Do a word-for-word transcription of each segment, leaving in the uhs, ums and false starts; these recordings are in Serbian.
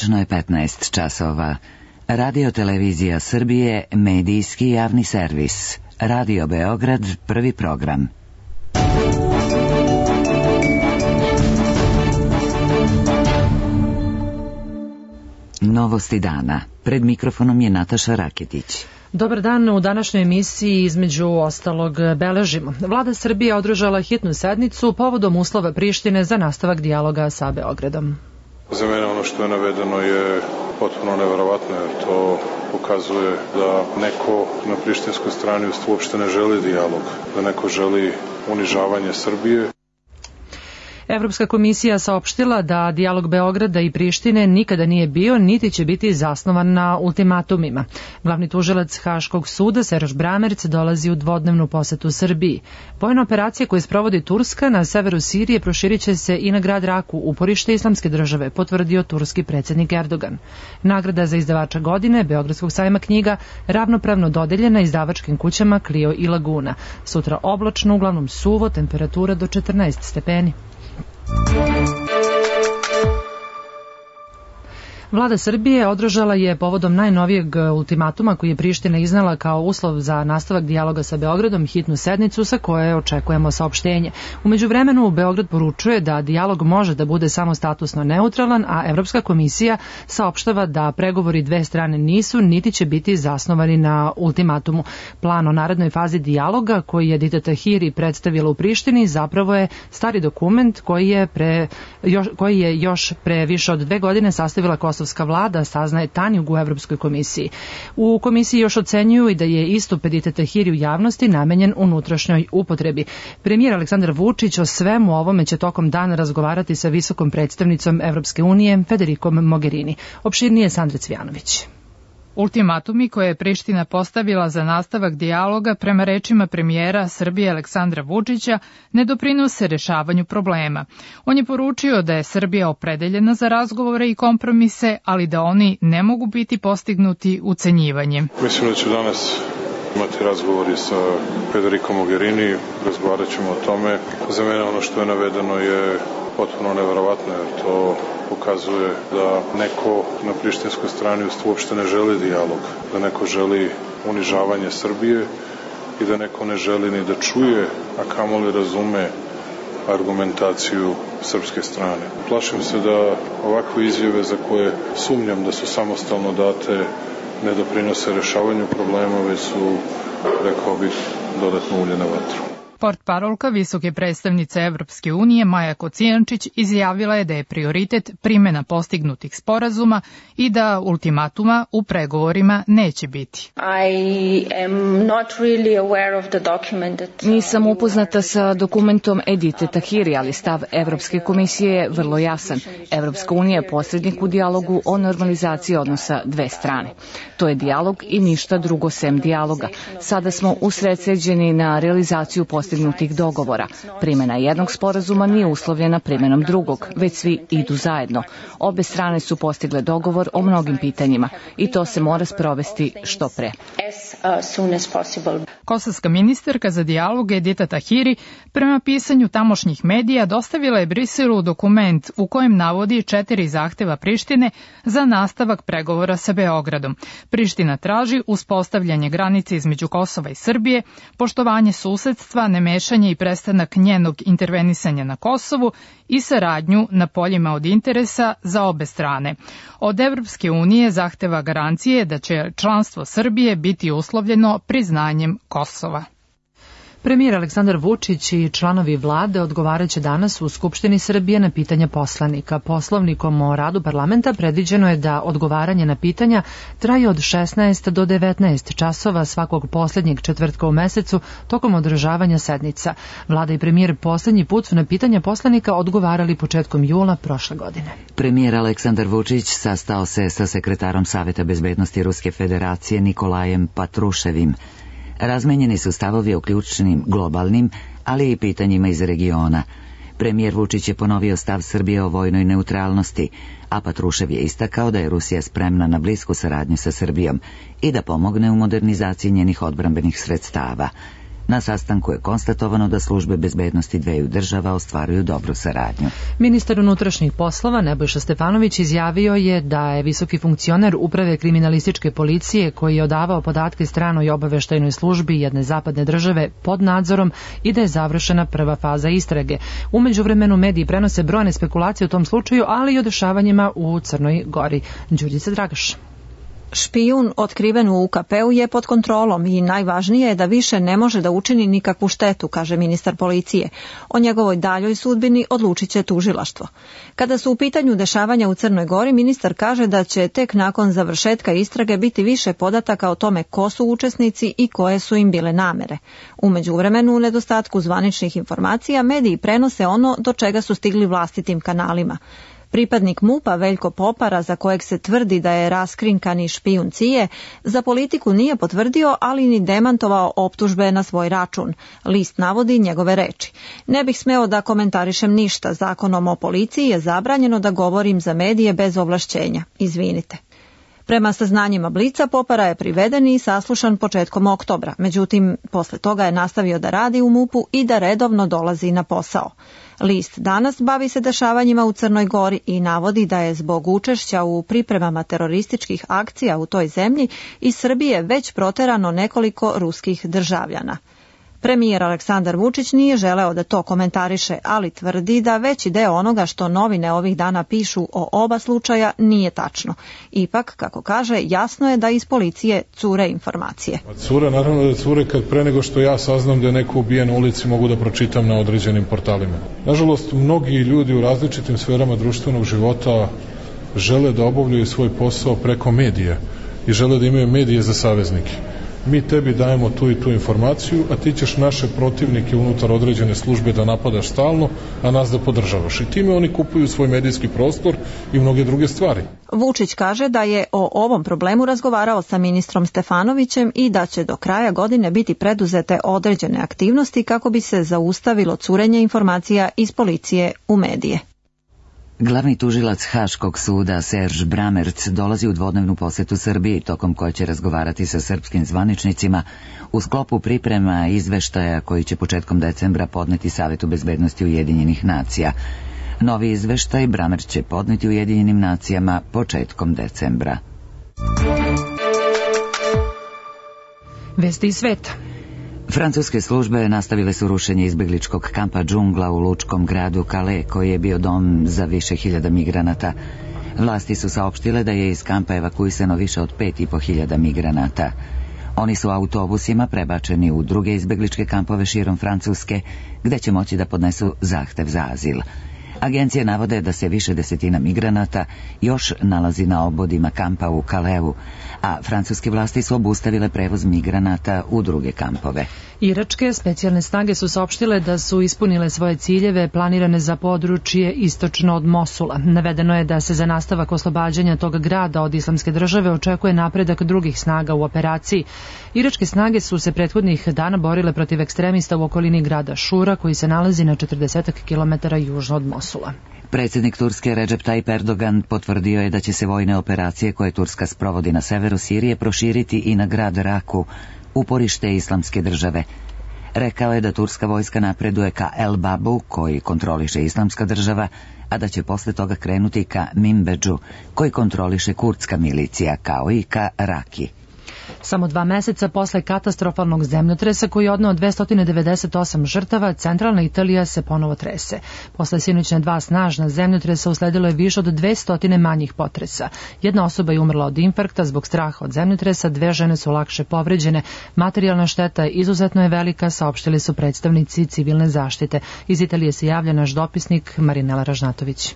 Tačno je petnaest časova. Radio Televizija Srbije, medijski javni servis. Radio Beograd, prvi program. Novosti dana. Pred mikrofonom je Nataša Raketić. Dobar dan, u današnjoj emisiji između ostalog beležimo. Vlada Srbije održala hitnu sednicu povodom uslova Prištine za nastavak dijaloga sa Beogradom. Za mene ono što je navedeno je potpuno neverovatno, jer to pokazuje da neko na prištinskoj strani uopšte ne želi dijalog, da neko želi unižavanje Srbije. Evropska komisija saopštila da dijalog Beograda i Prištine nikada nije bio, niti će biti zasnovan na ultimatumima. Glavni tužilac Haškog suda, Serž Bramerc, dolazi u dvodnevnu posetu Srbiji. Vojna operacija koju sprovodi Turska na severu Sirije proširit će se i na grad Raku, uporište islamske države, potvrdio turski predsjednik Erdogan. Nagrada za izdavača godine Beogradskog sajma knjiga ravnopravno dodeljena izdavačkim kućama Clio i Laguna. Sutra oblačno, uglavnom suvo, temperatura do četrnaest stepeni. Vlada Srbije održala je povodom najnovijeg ultimatuma koji je Priština iznala kao uslov za nastavak dijaloga sa Beogradom hitnu sednicu sa koje očekujemo saopštenje. U međuvremenu Beograd poručuje da dijalog može da bude samo statusno neutralan, a Evropska komisija saopštava da pregovori dve strane nisu niti će biti zasnovani na ultimatumu. Plan o narednoj fazi dijaloga koji je Dita Tahiri predstavila u Prištini zapravo je stari dokument koji je, pre, još, koji je još pre više od dve godine sastavila Kosovska vlada, saznaje Tanjug u Evropskoj komisiji. U komisiji još ocenjuju i da je istup Edite Tahiri u javnosti namenjen unutrašnjoj upotrebi. Premijer Aleksandar Vučić o svemu ovome će tokom dana razgovarati sa visokom predstavnicom Evropske unije Federikom Mogherini. Opširnije Sandra Cvijanović. Ultimatumi koje je Priština postavila za nastavak dijaloga prema rečima premijera Srbije Aleksandra Vučića ne doprinose rešavanju problema. On je poručio da je Srbija opredeljena za razgovore i kompromise, ali da oni ne mogu biti postignuti ucenjivanjem. Mislim da ću danas imati razgovori sa Federikom Mogherini, razgovarat ćemo o tome. Za mene ono što je navedeno je potpuno neverovatno, jer to pokazuje da neko na prištinskoj strani uopšte ne želi dijalog, da neko želi unižavanje Srbije i da neko ne želi ni da čuje, a kamoli razume argumentaciju srpske strane. Plašim se da ovakve izjave za koje sumnjam da su samostalno date ne doprinose rešavanju problema, već su, rekao bih, dodatno ulje na vatru. Portparolka visoke predstavnice Evropske unije Maja Kocijančić izjavila je da je prioritet primjena postignutih sporazuma i da ultimatuma u pregovorima neće biti. Nisam upoznata sa dokumentom Edite Tahiri, ali stav Evropske komisije je vrlo jasan. Evropska unija je posrednik u dijalogu o normalizaciji odnosa dve strane. To je dijalog i ništa drugo sem dijaloga. Sada smo usredsređeni na realizaciju postignutih postignutih dogovora. Primjena jednog sporazuma nije uslovljena primjenom drugog, već svi idu zajedno. Obe strane su postigle dogovor o mnogim pitanjima i to se mora sprovesti što pre. Kosovska ministarka za dijalog Edita Tahiri prema pisanju tamošnjih medija dostavila je Briselu dokument u kojem navodi četiri zahteva Prištine za nastavak pregovora sa Beogradom. Priština traži uspostavljanje granice između Kosova i Srbije, poštovanje susedstva, nemešanje i prestanak njenog intervenisanja na Kosovu i saradnju na poljima od interesa za obe strane. Od Evropske unije zahteva garancije da će članstvo Srbije biti uslovljeno priznanjem Kosova. Premijer Aleksandar Vučić i članovi vlade odgovaraće danas u Skupštini Srbije na pitanja poslanika. Poslovnikom o radu parlamenta predviđeno je da odgovaranje na pitanja traje od šesnaest do devetnaest časova svakog posljednjeg četvrtka u mesecu tokom održavanja sednica. Vlada i premijer posljednji put su na pitanja poslanika odgovarali početkom jula prošle godine. Premijer Aleksandar Vučić sastao se sa sekretarom Saveta bezbednosti Ruske federacije Nikolajem Patruševim. Razmenjeni su stavovi o ključnim globalnim, ali i pitanjima iz regiona. Premijer Vučić je ponovio stav Srbije o vojnoj neutralnosti, a Patrušev je istakao da je Rusija spremna na blisku saradnju sa Srbijom i da pomogne u modernizaciji njenih odbrambenih sredstava. Na sastanku je konstatovano da službe bezbednosti dveju država ostvaruju dobru saradnju. Ministar unutrašnjih poslova Nebojša Stefanović izjavio je da je visoki funkcioner uprave kriminalističke policije koji je odavao podatke stranoj obaveštajnoj službi jedne zapadne države pod nadzorom i da je završena prva faza istrage. U međuvremenu mediji prenose brojne spekulacije u tom slučaju, ali i o dešavanjima u Crnoj Gori. Đurđica Dragaš. Špijun otkriven u U K P-u je pod kontrolom i najvažnije je da više ne može da učini nikakvu štetu, kaže ministar policije. O njegovoj daljoj sudbini odlučit će tužilaštvo. Kada su u pitanju dešavanja u Crnoj Gori, ministar kaže da će tek nakon završetka istrage biti više podataka o tome ko su učesnici i koje su im bile namere. U međuvremenu, u nedostatku zvaničnih informacija, mediji prenose ono do čega su stigli vlastitim kanalima. Pripadnik M U P-a Veljko Popara, za kojeg se tvrdi da je raskrinkani špijun C I E, za Politiku nije potvrdio, ali ni demantovao optužbe na svoj račun. List navodi njegove reči. Ne bih smeo da komentarišem ništa. Zakonom o policiji je zabranjeno da govorim za medije bez ovlašćenja. Izvinite. Prema saznanjima Blica, Popara je priveden i saslušan početkom oktobra. Međutim, posle toga je nastavio da radi u M U P-u i da redovno dolazi na posao. List danas bavi se dešavanjima u Crnoj Gori i navodi da je zbog učešća u pripremama terorističkih akcija u toj zemlji iz Srbije već proterano nekoliko ruskih državljana. Premijer Aleksandar Vučić nije želeo da to komentariše, ali tvrdi da veći deo onoga što novine ovih dana pišu o oba slučaja nije tačno. Ipak, kako kaže, jasno je da iz policije cure informacije. Cure, naravno da cure kad pre nego što ja saznam da je neko ubijen na ulici mogu da pročitam na određenim portalima. Nažalost, mnogi ljudi u različitim sferama društvenog života žele da obavljaju svoj posao preko medija i žele da imaju medije za saveznike. Mi tebi dajemo tu i tu informaciju, a ti ćeš naše protivnike unutar određene službe da napadaš stalno, a nas da podržavaš. I time oni kupuju svoj medijski prostor i mnoge druge stvari. Vučić kaže da je o ovom problemu razgovarao sa ministrom Stefanovićem i da će do kraja godine biti preduzete određene aktivnosti kako bi se zaustavilo curenje informacija iz policije u medije. Glavni tužilac Haškog suda Serž Bramerc dolazi u dvodnevnu posetu Srbiji, tokom koje će razgovarati sa srpskim zvaničnicima u sklopu priprema izveštaja koji će početkom decembra podneti Savetu bezbednosti Ujedinjenih nacija. Novi izveštaj Bramerc će podneti Ujedinjenim nacijama početkom decembra. Vesti iz sveta. Francuske službe nastavile su rušenje izbegličkog kampa Džungla u lučkom gradu Calais, koji je bio dom za više hiljada migranata. Vlasti su saopštile da je iz kampa evakuisano više od pet i po hiljada migranata. Oni su autobusima prebačeni u druge izbegličke kampove širom Francuske, gde će moći da podnesu zahtev za azil. Agencije navode da se više desetina migranata još nalazi na obodima kampa u Calaisu, a francuske vlasti su obustavile prevoz migranata u druge kampove. Iračke specijalne snage su saopštile da su ispunile svoje ciljeve planirane za područje istočno od Mosula. Navedeno je da se za nastavak oslobađanja tog grada od islamske države očekuje napredak drugih snaga u operaciji. Iračke snage su se prethodnih dana borile protiv ekstremista u okolini grada Šura, koji se nalazi na četrdeset kilometara južno od Mosula. Predsjednik Turske Recep Tayyip Erdogan potvrdio je da će se vojne operacije koje Turska sprovodi na severu Sirije proširiti i na grad Raku, uporište islamske države. Rekao je da turska vojska napreduje ka El Babu, koji kontroliše islamska država, a da će posle toga krenuti ka Minbedžu, koji kontroliše kurdska milicija, kao i ka Raki. Samo dva meseca posle katastrofalnog zemljotresa koji je odneo dvesta devedeset osam žrtava, centralna Italija se ponovo trese. Posle sinoćna dva snažna zemljotresa usledilo je više od dvesta manjih potresa. Jedna osoba je umrla od infarkta zbog straha od zemljotresa, dve žene su lakše povređene. Materijalna šteta izuzetno je velika, saopštili su predstavnici civilne zaštite. Iz Italije se javlja naš dopisnik Marinela Ražnatović.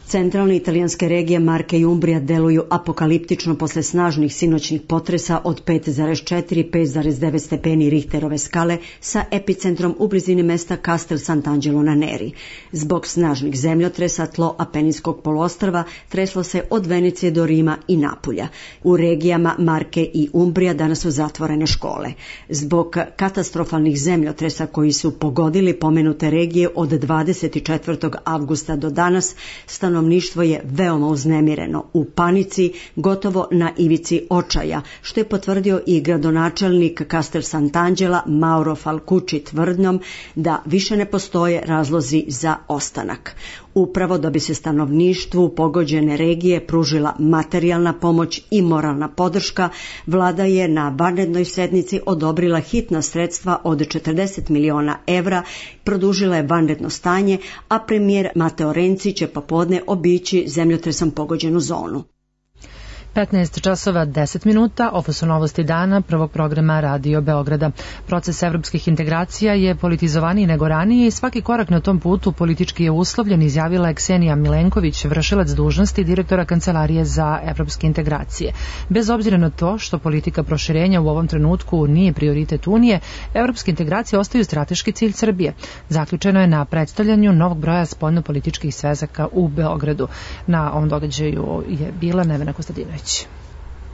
Centralne italijanske regije Marke i Umbrija deluju apokaliptično posle snažnih sinoćnih potresa od pet zarez četiri do pet zarez devet stepeni Richterove skale sa epicentrom u blizini mesta Castel Sant'Angelo na Neri. Zbog snažnih zemljotresa tlo Apeninskog poluostrva treslo se od Venecije do Rima i Napulja. U regijama Marke i Umbrija danas su zatvorene škole. Zbog katastrofalnih zemljotresa koji su pogodili pomenute regije od dvadeset četvrtog avgusta do danas, stanovništvo stanovništvo je veoma uznemireno, u panici, gotovo na ivici očaja, što je potvrdio i gradonačelnik Castel Sant'Angela Mauro Falcucci tvrdnjom da više ne postoje razlozi za ostanak. Upravo da bi se stanovništvu pogođene regije pružila materijalna pomoć i moralna podrška, vlada je na vanrednoj sednici odobrila hitna sredstva od četrdeset miliona evra, produžila je vanredno stanje, a premijer Matteo Renzi će popodne obići zemljotresom pogođenu zonu. petnaest časova deset minuta, ovo su novosti dana prvog programa Radio Beograda. Proces evropskih integracija je politizovaniji nego ranije i svaki korak na tom putu politički je uslovljen, izjavila je Ksenija Milenković, vršilac dužnosti direktora Kancelarije za evropske integracije. Bez obzira na to što politika proširenja u ovom trenutku nije prioritet Unije, evropske integracije ostaju strateški cilj Srbije. Zaključeno je na predstavljanju novog broja spoljnopolitičkih svezaka u Beogradu. Na ovom događaju je bila Nevena Kostadinović.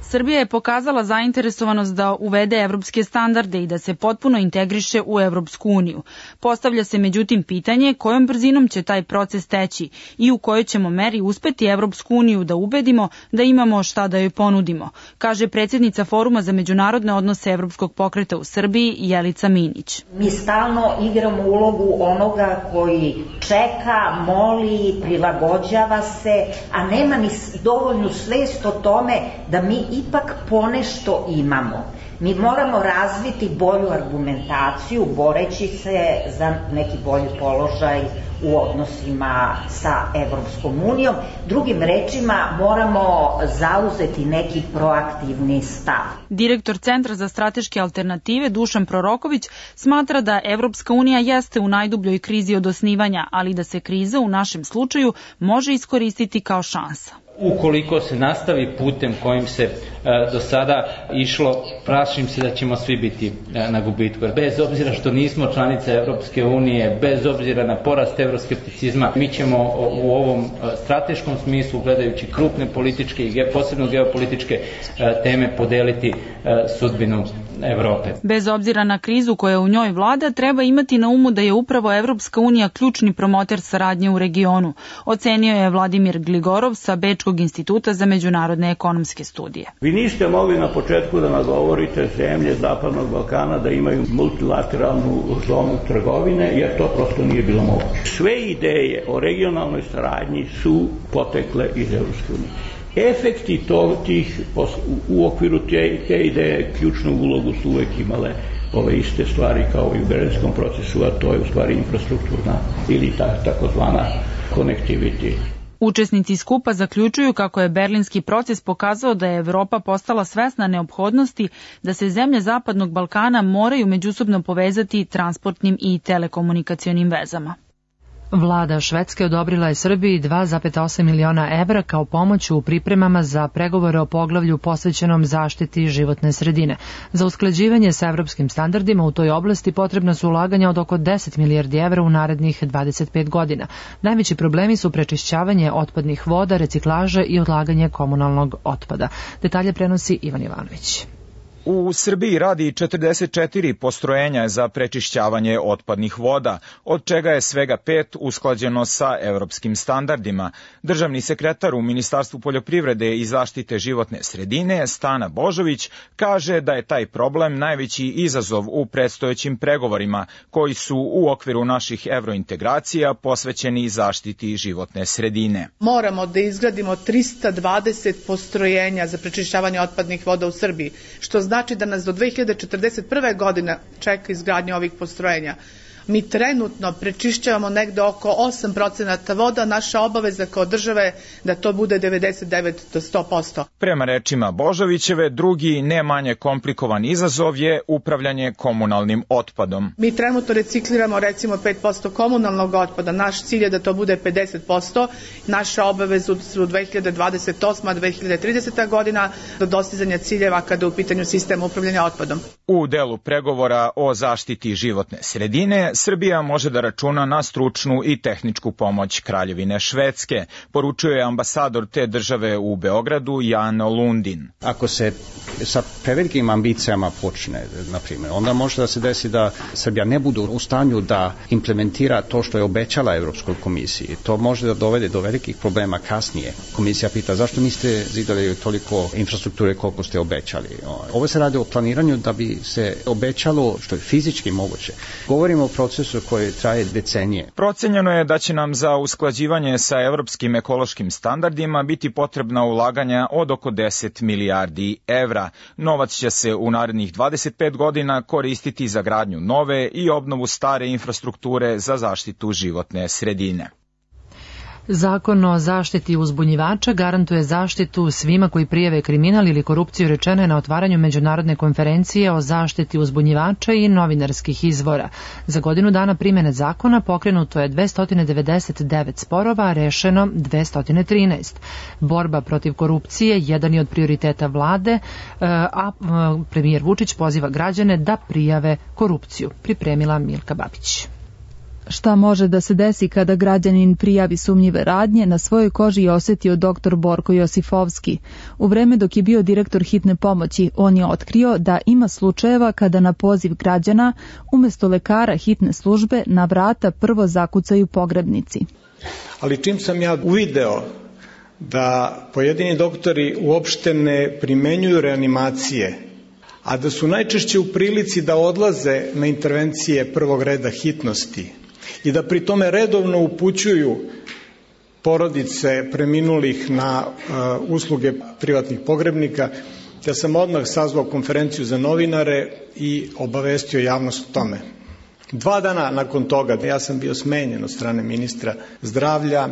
Srbija je pokazala zainteresovanost da uvede evropske standarde i da se potpuno integriše u Evropsku uniju. Postavlja se međutim pitanje kojom brzinom će taj proces teći i u kojoj ćemo meri uspeti Evropsku uniju da ubedimo da imamo šta da joj ponudimo, kaže predsjednica Foruma za međunarodne odnose Evropskog pokreta u Srbiji Jelica Minić. Mi stalno igramo ulogu onoga koji čeka, moli, prilagođava se, a nema ni dovoljnu svest o tome da mi ipak ponešto imamo. Mi moramo razviti bolju argumentaciju, boreći se za neki bolji položaj u odnosima sa Evropskom unijom. Drugim rečima, moramo zauzeti neki proaktivni stav. Direktor Centra za strateške alternative Dušan Proroković smatra da Evropska unija jeste u najdubljoj krizi od osnivanja, ali da se kriza u našem slučaju može iskoristiti kao šansa. Ukoliko se nastavi putem kojim se e, do sada išlo, plašim se da ćemo svi biti e, na gubitku. Bez obzira što nismo članice Evropske unije, bez obzira na porast evroskepticizma, mi ćemo u ovom strateškom smislu, gledajući krupne političke i posebno geopolitičke e, teme, podeliti e, sudbinu Evrope. Bez obzira na krizu koja u njoj vlada, treba imati na umu da je upravo Evropska unija ključni promoter saradnje u regionu, ocenio je Vladimir Gligorov sa Bečkog instituta za međunarodne ekonomske studije. Vi niste mogli na početku da nagovorite zemlje Zapadnog Balkana da imaju multilateralnu zonu trgovine, jer to prosto nije bilo moguće. Sve ideje o regionalnoj saradnji su potekle iz Evropske unije. Efekti to, tih, u okviru te, te ideje ključnu ulogu su uvek imale ove iste stvari kao i u Berlinskom procesu, a to je u stvari infrastrukturna ili ta, takozvana connectivity. Učesnici skupa zaključuju kako je berlinski proces pokazao da je Evropa postala svesna neophodnosti da se zemlje Zapadnog Balkana moraju međusobno povezati transportnim i telekomunikacionim vezama. Vlada Švedske odobrila je Srbiji dva zarez osam miliona evra kao pomoć u pripremama za pregovore o poglavlju posvećenom zaštiti životne sredine. Za usklađivanje sa evropskim standardima u toj oblasti potrebna su ulaganja od oko deset milijardi evra u narednih dvadeset pet godina. Najveći problemi su prečišćavanje otpadnih voda, reciklaža i odlaganje komunalnog otpada. Detalje prenosi Ivan Ivanović. U Srbiji radi četrdeset četiri postrojenja za prečišćavanje otpadnih voda, od čega je svega pet usklađeno sa evropskim standardima. Državni sekretar u Ministarstvu poljoprivrede i zaštite životne sredine, Stana Božović, kaže da je taj problem najveći izazov u predstojećim pregovorima, koji su u okviru naših evrointegracija posvećeni zaštiti životne sredine. Moramo da izgradimo trista dvadeset postrojenja za prečišćavanje otpadnih voda u Srbiji, što znači da nas do dve hiljade četrdeset prve. godine čeka izgradnja ovih postrojenja. Mi trenutno prečišćavamo negde oko osam procenata voda, naša obaveza kao države da to bude devedeset devet do sto posto. Prema rečima Božovićeve, drugi ne manje komplikovan izazov je upravljanje komunalnim otpadom. Mi trenutno recikliramo recimo pet posto komunalnog otpada, naš cilj je da to bude pedeset posto, naša obaveza su dve hiljade dvadeset osma do dve hiljade trideseta. godina do dostizanja ciljeva kada je u pitanju sistem upravljanja otpadom. U delu pregovora o zaštiti životne sredine, Srbija može da računa na stručnu i tehničku pomoć Kraljevine Švedske, poručuje ambasador te države u Beogradu Jan Lundin. Ako se sa prevelikim ambicijama počne, na primjer, onda može da se desi da Srbija ne bude u stanju da implementira to što je obećala Evropskoj komisiji. To može da dovede do velikih problema kasnije. Komisija pita zašto niste zidali toliko infrastrukture koliko ste obećali. Ovo se radi o planiranju da bi se obećalo što je fizički moguće. Govorimo o procesu koji traje decenije. Procenjeno je da će nam za usklađivanje sa evropskim ekološkim standardima biti potrebna ulaganja od oko deset milijardi evra. Novac će se u narednih dvadeset pet godina koristiti za gradnju nove i obnovu stare infrastrukture za zaštitu životne sredine. Zakon o zaštiti uzbunjivača garantuje zaštitu svima koji prijave kriminal ili korupciju, rečeno je na otvaranju međunarodne konferencije o zaštiti uzbunjivača i novinarskih izvora. Za godinu dana primjene zakona pokrenuto je dvesta devedeset devet sporova, a rešeno dvesta trinaest. Borba protiv korupcije jedan je od prioriteta vlade, a premijer Vučić poziva građane da prijave korupciju. Pripremila Milka Babić. Šta može da se desi kada građanin prijavi sumnjive radnje, na svojoj koži je osjetio doktor Borko Josifovski. U vreme dok je bio direktor hitne pomoći, on je otkrio da ima slučajeva kada na poziv građana umjesto lekara hitne službe na vrata prvo zakucaju pogrebnici. Ali čim sam ja uvideo da pojedini doktori uopšte ne primenjuju reanimacije, a da su najčešće u prilici da odlaze na intervencije prvog reda hitnosti i da pri tome redovno upućuju porodice preminulih na uh, usluge privatnih pogrebnika, ja sam odmah sazvao konferenciju za novinare i obavestio javnost o tome. Dva dana nakon toga ja sam bio smenjen od strane ministra zdravlja.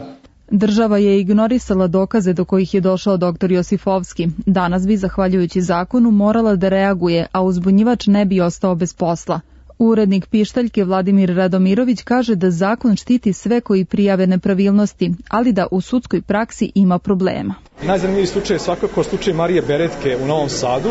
Država je ignorisala dokaze do kojih je došao doktor Josifovski. Danas bi, zahvaljujući zakonu, morala da reaguje, a uzbunjivač ne bi ostao bez posla. Urednik Pištaljke Vladimir Radomirović kaže da zakon štiti sve koji prijave nepravilnosti, ali da u sudskoj praksi ima problema. Najzanimljiviji slučaj je svakako slučaj Marije Beretke u Novom Sadu,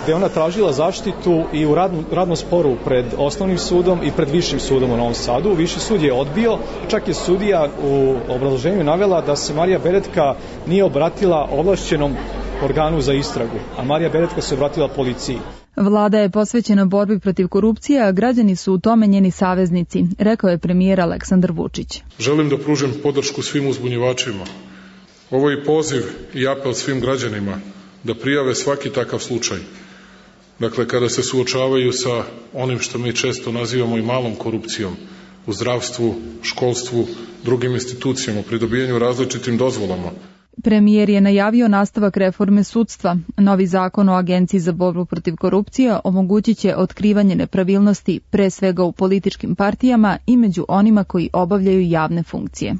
gde ona tražila zaštitu i u radnom, radnom sporu pred osnovnim sudom i pred višim sudom u Novom Sadu. Viši sud je odbio, čak je sudija u obrazloženju navela da se Marija Beretka nije obratila ovlašćenom organu za istragu, a Marija Beretka se obratila policiji. Vlada je posvećena borbi protiv korupcije, a građani su u tome njeni saveznici, rekao je premijer Aleksandar Vučić. Želim da pružim podršku svim uzbunjivačima. Ovo je poziv i apel svim građanima da prijave svaki takav slučaj. Dakle, kada se suočavaju sa onim što mi često nazivamo i malom korupcijom u zdravstvu, školstvu, drugim institucijama, pri dobijanju različitim dozvolama. Premijer je najavio nastavak reforme sudstva. Novi zakon o Agenciji za borbu protiv korupcije omogućit će otkrivanje nepravilnosti pre svega u političkim partijama i među onima koji obavljaju javne funkcije.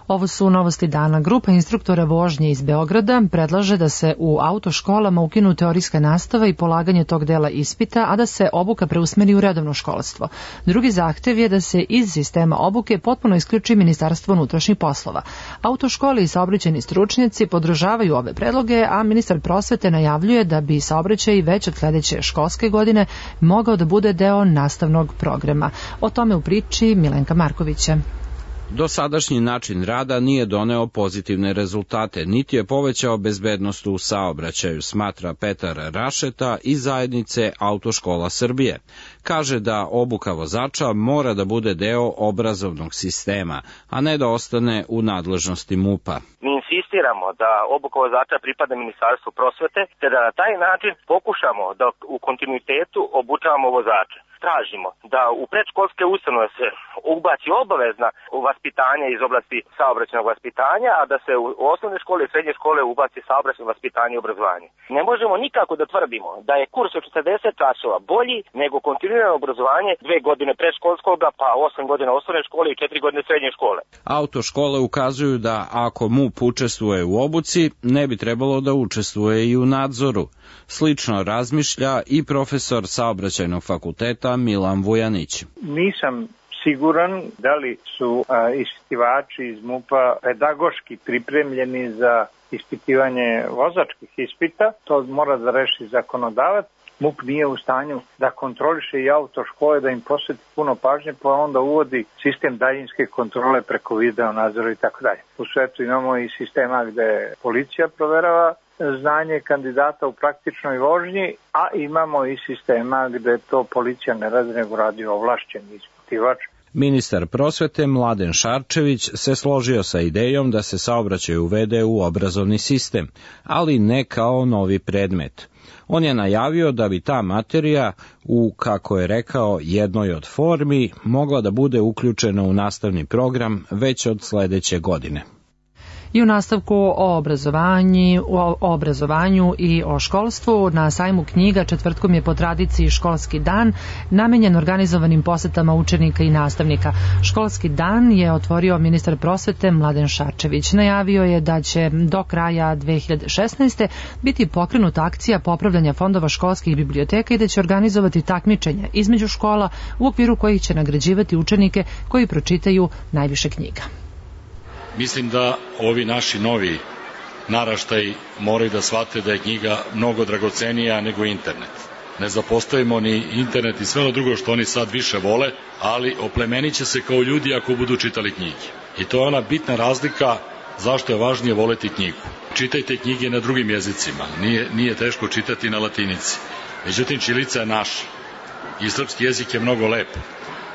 Ovo su novosti dana. Grupa instruktora vožnje iz Beograda predlaže da se u autoškolama ukinu teorijska nastava i polaganje tog dela ispita, a da se obuka preusmeri u redovno školstvo. Drugi zahtev je da se iz sistema obuke potpuno isključi Ministarstvo unutrašnjih poslova. Autoškole i saobraćajni stručnjaci podržavaju ove predloge, a ministar prosvete najavljuje da bi saobraćaj već od sledeće školske godine mogao da bude deo nastavnog programa. O tome u priči Milenka Markovića. Dosadašnji način rada nije doneo pozitivne rezultate, niti je povećao bezbednost u saobraćaju, smatra Petar Rašeta iz zajednice Autoškola Srbije. Kaže da obuka vozača mora da bude deo obrazovnog sistema, a ne da ostane u nadležnosti MUP-a. Mi insistiramo da obuka vozača pripada Ministarstvu prosvete, te da na taj način pokušamo da u kontinuitetu obučavamo vozače. Tražimo da u predškolske ustanove se ubaci obavezna vaspitanja iz oblasti saobraćajnog vaspitanja, a da se u osnovne škole i srednje škole ubaci saobraćajno vaspitanje i obrazovanje. Ne možemo nikako da tvrdimo da je kurs od četrdeset časova bolji nego kontinuirano obrazovanje dve godine predškolskog, pa osam godina osnovne škole i četiri godine srednje škole. Autoškole ukazuju da ako MUP učestvuje u obuci, ne bi trebalo da učestvuje i u nadzoru. Slično razmišlja i profesor saobraćajnog fakulteta Milan Vujanić. Nisam siguran da li su a, ispitivači iz MUP-a pedagoški pripremljeni za ispitivanje vozačkih ispita. To mora da reši zakonodavac. M U P nije u stanju da kontroliše i autoškole, da im posveti puno pažnje, pa onda uvodi sistem daljinske kontrole preko video nadzora i tako dalje. U svetu imamo i sistema gde policija proverava znanje kandidata u praktičnoj vožnji, a imamo i sistema gde to policija ne radi, nego radi ovlašćeni ispitivač. Ministar prosvete Mladen Šarčević se složio sa idejom da se saobraćaj uvede u obrazovni sistem, ali ne kao novi predmet. On je najavio da bi ta materija u, kako je rekao, jednoj od formi mogla da bude uključena u nastavni program već od sledeće godine. I u nastavku o obrazovanju, o obrazovanju i o školstvu na sajmu knjiga četvrtkom je po tradiciji školski dan namenjen organizovanim posetama učenika i nastavnika. Školski dan je otvorio ministar prosvete Mladen Šarčević. Najavio je da će do kraja dve hiljade šesnaeste. biti pokrenuta akcija popravljanja fondova školskih biblioteka i da će organizovati takmičenja između škola u okviru kojih će nagrađivati učenike koji pročitaju najviše knjiga. Mislim da ovi naši novi naraštaji moraju da shvate da je knjiga mnogo dragocenija nego internet. Ne zapostavimo ni internet i sve ono drugo što oni sad više vole, ali oplemenit će se kao ljudi ako budu čitali knjige. I to je ona bitna razlika zašto je važnije voleti knjigu. Čitajte knjige na drugim jezicima, nije, nije teško čitati na latinici. Međutim, ćirilica je naša i srpski jezik je mnogo lep.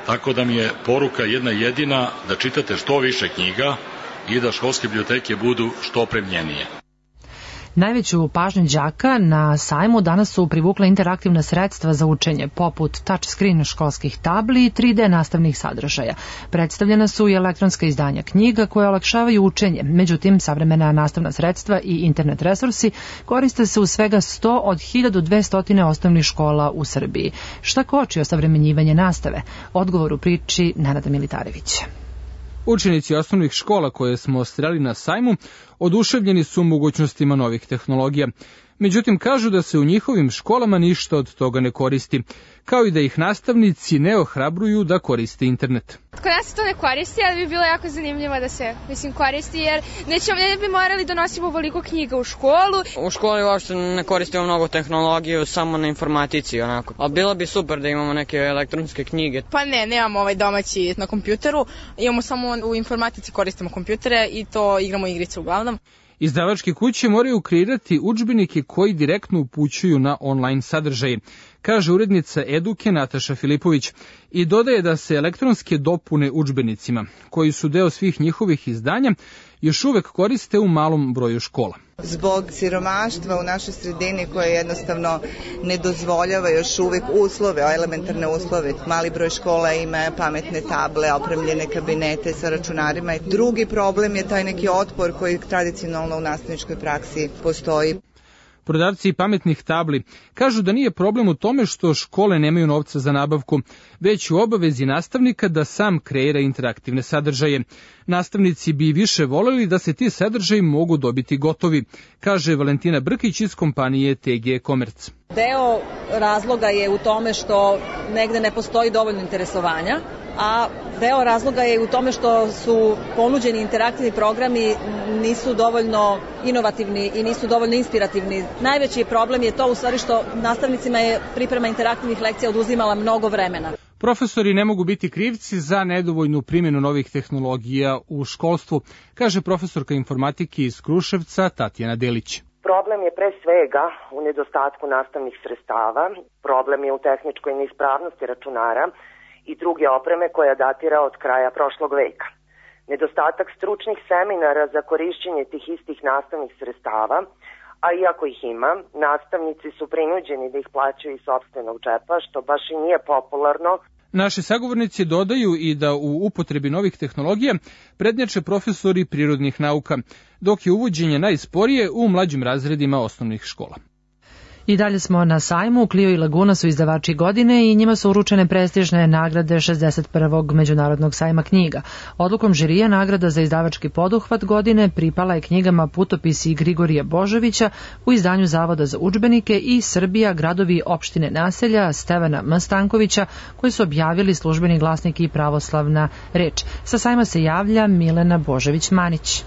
Tako da mi je poruka jedna jedina da čitate što više knjiga i da školske biblioteke budu što opremljenije. Najveću pažnju đaka na sajmu danas su privukla interaktivna sredstva za učenje, poput touchscreen školskih tabli i tri D nastavnih sadržaja. Predstavljena su i elektronska izdanja knjiga koje olakšavaju učenje, međutim, savremena nastavna sredstva i internet resursi koriste se u svega sto od hiljadu dvesta osnovnih škola u Srbiji. Šta koči osavremenjivanje nastave? Odgovor u priči Nenada Militarevića. Učenici osnovnih škola koje smo sreli na sajmu oduševljeni su mogućnostima novih tehnologija. Međutim, kažu da se u njihovim školama ništa od toga ne koristi, kao i da ih nastavnici ne ohrabruju da koriste internet. Kod nas se to ne koristi, ali bi bilo jako zanimljivo da se mislim, koristi, jer nećemo, ne bi morali da nosimo ovoliko knjiga u školu. U školi uopšte ne koristimo mnogo tehnologiju, samo na informatici, onako. A bilo bi super da imamo neke elektronske knjige. Pa ne, nemamo ovaj domaći na kompjuteru, imamo samo u informatici koristimo kompjutere i to igramo igrice uglavnom. Izdavačke kuće moraju kreirati udžbenike koji direktno upućuju na online sadržaje, kaže urednica Eduke Nataša Filipović, i dodaje da se elektronske dopune udžbenicima, koji su deo svih njihovih izdanja, još uvek koriste u malom broju škola. Zbog siromaštva u našoj sredini koje jednostavno ne dozvoljava još uvek uslove, elementarne uslove. Mali broj škola ima pametne table, opremljene kabinete sa računarima. Drugi problem je taj neki otpor koji tradicionalno u nastavničkoj praksi postoji. Prodavci pametnih tabli kažu da nije problem u tome što škole nemaju novca za nabavku, već u obavezi nastavnika da sam kreira interaktivne sadržaje. Nastavnici bi više voleli da se ti sadržaji mogu dobiti gotovi, kaže Valentina Brkić iz kompanije T G Komerc. Deo razloga je u tome što negde ne postoji dovoljno interesovanja, a deo razloga je u tome što su ponuđeni interaktivni programi nisu dovoljno inovativni i nisu dovoljno inspirativni. Najveći problem je to u stvari što nastavnicima je priprema interaktivnih lekcija oduzimala mnogo vremena. Profesori ne mogu biti krivci za nedovoljnu primjenu novih tehnologija u školstvu, kaže profesorka informatike iz Kruševca Tatjana Delić. Problem je pre svega u nedostatku nastavnih sredstava, problem je u tehničkoj neispravnosti računara i druge opreme koja datira od kraja prošlog veka. Nedostatak stručnih seminara za korišćenje tih istih nastavnih sredstava, a iako ih ima, nastavnici su prinuđeni da ih plaćaju iz sopstvenog džepa, što baš i nije popularno. Naši sagovornici dodaju i da u upotrebi novih tehnologija prednjače profesori prirodnih nauka, dok je uvođenje najsporije u mlađim razredima osnovnih škola. I dalje smo na sajmu. Clio i Laguna su izdavači godine i njima su uručene prestižne nagrade šezdeset prvog Međunarodnog sajma knjiga. Odlukom žirija nagrada za izdavački poduhvat godine pripala je knjigama Putopisi Grigorija Božovića u izdanju Zavoda za udžbenike i Srbija, gradovi, opštine, naselja Stevana M. Stankovića, koji su objavili Službeni glasnik i Pravoslavna reč. Sa sajma se javlja Milena Božović-Manić.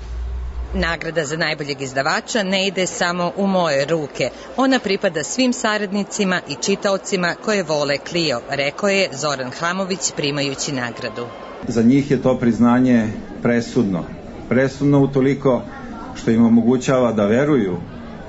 Nagrada za najboljeg izdavača ne ide samo u moje ruke. Ona pripada svim saradnicima i čitaocima koje vole Clio, rekao je Zoran Hamović primajući nagradu. Za njih je to priznanje presudno. Presudno utoliko što im omogućava da veruju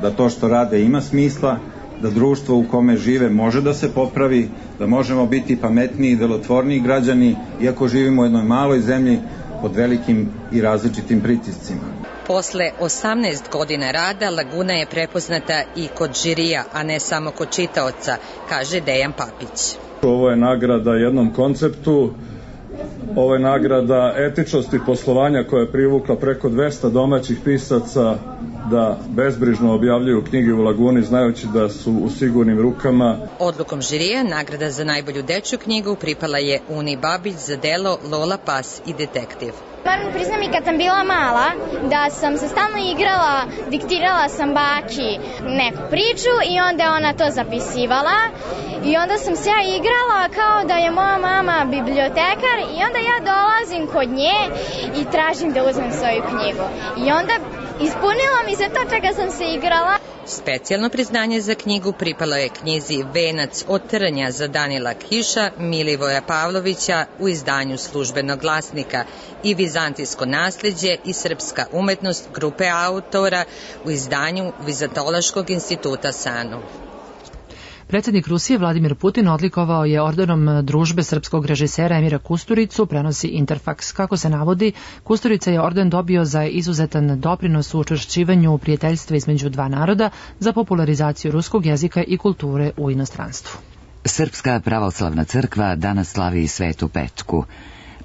da to što rade ima smisla, da društvo u kome žive može da se popravi, da možemo biti pametniji i delotvorniji građani, iako živimo u jednoj maloj zemlji pod velikim i različitim pritiscima. Posle osamnaest godina rada Laguna je prepoznata i kod žirija, a ne samo kod čitaoca, kaže Dejan Papić. Ovo je nagrada jednom konceptu, ovo je nagrada etičnosti poslovanja koja je privukla preko dvesta domaćih pisaca da bezbrižno objavljuju knjige u Laguni znajući da su u sigurnim rukama. Odlukom žirija nagrada za najbolju dečju knjigu pripala je Uni Babić za delo Lola Pas i detektiv. Moram priznam i kad sam bila mala da sam se stalno igrala, diktirala sam baki neku priču i onda je ona to zapisivala i onda sam se ja igrala kao da je moja mama bibliotekar i onda ja dolazim kod nje i tražim da uzmem svoju knjigu. I onda ispunilo mi se to čega sam se igrala. Specijalno priznanje za knjigu pripalo je knjizi Venac od trnja za Danila Kiša, Milivoja Pavlovića u izdanju Službenog glasnika i Vizantijsko nasleđe i srpska umetnost grupe autora u izdanju Vizantološkog instituta Sanu. Predsjednik Rusije Vladimir Putin odlikovao je ordenom družbe srpskog režisera Emira Kusturicu, prenosi Interfax. Kako se navodi, Kusturica je orden dobio za izuzetan doprinos u učvršćivanju prijateljstva između dva naroda za popularizaciju ruskog jezika i kulture u inostranstvu. Srpska pravoslavna crkva danas slavi Svetu Petku.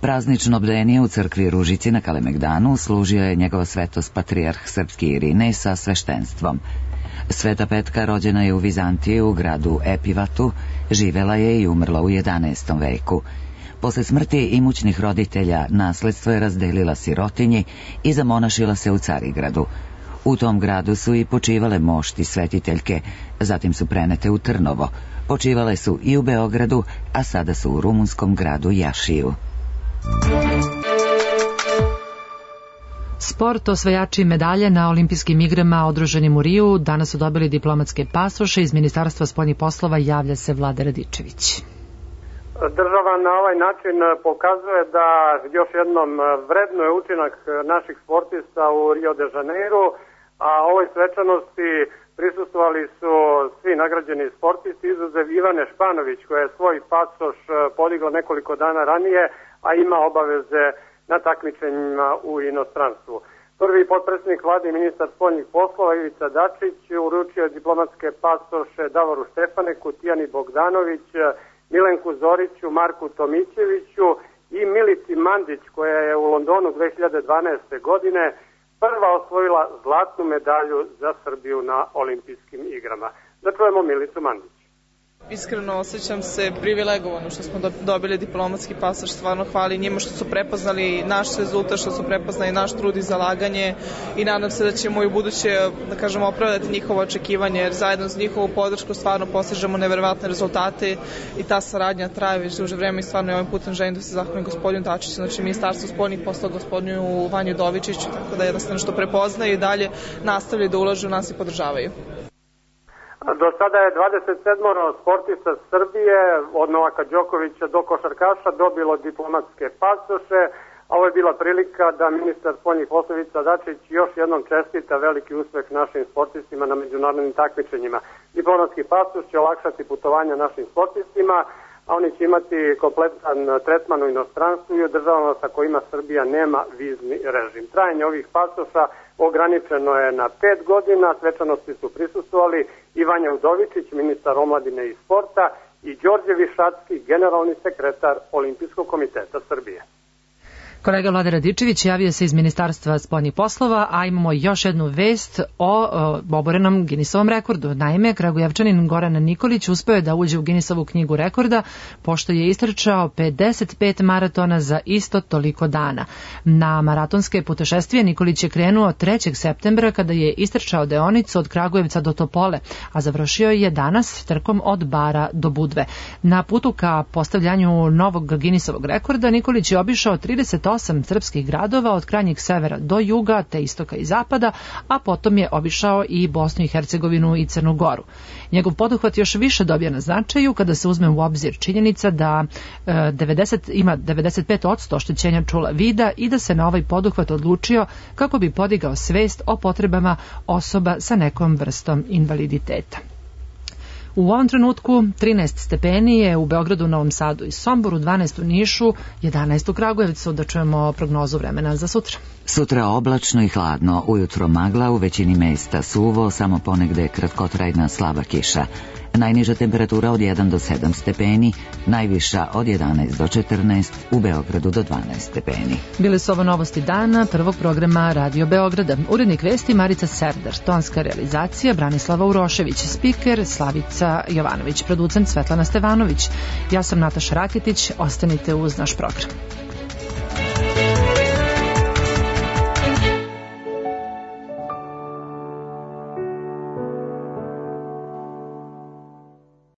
Praznično bdenje u crkvi Ružici na Kalemegdanu služio je njegova svetost patrijarh srpski Irinej sa sveštenstvom. Sveta Petka rođena je u Vizantiji u gradu Epivatu, živela je i umrla u jedanaestom veku. Posle smrti imućnih roditelja nasledstvo je razdelila sirotinji i zamonašila se u Carigradu. U tom gradu su i počivale mošti svetiteljke, zatim su prenete u Trnovo. Počivale su i u Beogradu, a sada su u rumunskom gradu Jašiju. Sport, osvajači medalje na olimpijskim igrama održanim u Riju danas su dobili diplomatske pasoše. Iz Ministarstva spoljnih poslova javlja se Vlada Radičević. Država na ovaj način pokazuje da još jednom vrednuje učinak naših sportista u Rio de Janeiro, a ovoj svečanosti prisustvovali su svi nagrađeni sportisti, izuzev Ivane Španović koja je svoj pasoš podigla nekoliko dana ranije, a ima obaveze na takmičenjima u inostranstvu. Prvi potpredsjednik vlade i ministar spoljnih poslova Ivica Dačić uručio je diplomatske pasoše Davoru Štefaneku, Tijani Bogdanović, Milenku Zoriću, Marku Tomićeviću i Milici Mandić koja je u Londonu dve hiljade dvanaeste. godine prva osvojila zlatnu medalju za Srbiju na olimpijskim igrama. Da čujemo Milicu Mandić. Iskreno osjećam se privilegovano što smo dobili diplomatski pasoš, stvarno hvali njima što su prepoznali naš rezultat, što su prepoznali naš trud i zalaganje i nadam se da ćemo i u buduće, da kažemo, opravdati njihovo očekivanje, jer zajedno s njihovu podršku stvarno postižemo neverovatne rezultate i ta saradnja traje već duže vreme i stvarno i ovim putem želim da se zahvalim gospodinu Dačiću, znači Ministarstvu spoljnih poslova, gospodinu Vanju Dovičiću, tako da jednostavno što prepoznaju i dalje nastavljaju da ulažu u nas i podržavaju. Do sada je dvadeset sedam sportista Srbije, od Novaka Đokovića do košarkaša, dobilo diplomatske pasoše. Ovo je bila prilika da ministar spoljnih poslova Ivica Dačić još jednom čestita veliki uspeh našim sportistima na međunarodnim takmičenjima. Diplomatski pasoš će olakšati putovanja našim sportistima, a oni će imati kompletan tretman u inostranstvu i u državama sa kojima Srbija nema vizni režim. Trajanje ovih pasoša ograničeno je na pet godina, svečanosti su prisustvovali i Vanja Udovičić, ministar omladine i sporta, i Đorđe Višacki, generalni sekretar Olimpijskog komiteta Srbije. Kolega Vlada Radičević javio se iz Ministarstva spoljnih poslova, a imamo još jednu vest o, o oborenom Guinnessovom rekordu. Naime, Kragujevčanin Goran Nikolić uspeo je da uđe u Guinnessovu knjigu rekorda, pošto je istrčao pedeset pet maratona za isto toliko dana. Na maratonske putešestvije Nikolić je krenuo trećeg septembra kada je istrčao deonicu od Kragujevca do Topole, a završio je danas trkom od Bara do Budve. Na putu ka postavljanju novog Guinnessovog rekorda Nikolić je obišao trideset osam srpskih gradova od krajnjeg severa do juga, te istoka i zapada, a potom je obišao i Bosnu i Hercegovinu i Crnu Goru. Njegov poduhvat još više dobija na značaju kada se uzme u obzir činjenica da e, devedeset, ima devedeset pet posto oštećenja čula vida i da se na ovaj poduhvat odlučio kako bi podigao svest o potrebama osoba sa nekom vrstom invaliditeta. U ovom trenutku trinaest stepeni je u Beogradu, Novom Sadu i Somboru, dvanaest u Nišu, jedanaest u Kragujevcu. Da čujemo prognozu vremena za sutra. Sutra oblačno i hladno, ujutro magla, u većini mesta suvo, samo ponegde kratkotrajna slaba kiša. Najniža temperatura od jedan do sedam stepeni, najviša od jedanaest do četrnaest, u Beogradu do dvanaest stepeni. Bile su ovo novosti dana prvog programa Radio Beograda. Urednik vesti Marica Serdar, tonska realizacija Branislava Urošević, spiker Slavica Jovanović, producent Svetlana Stevanović. Ja sam Nataša Raketić, ostanite uz naš program.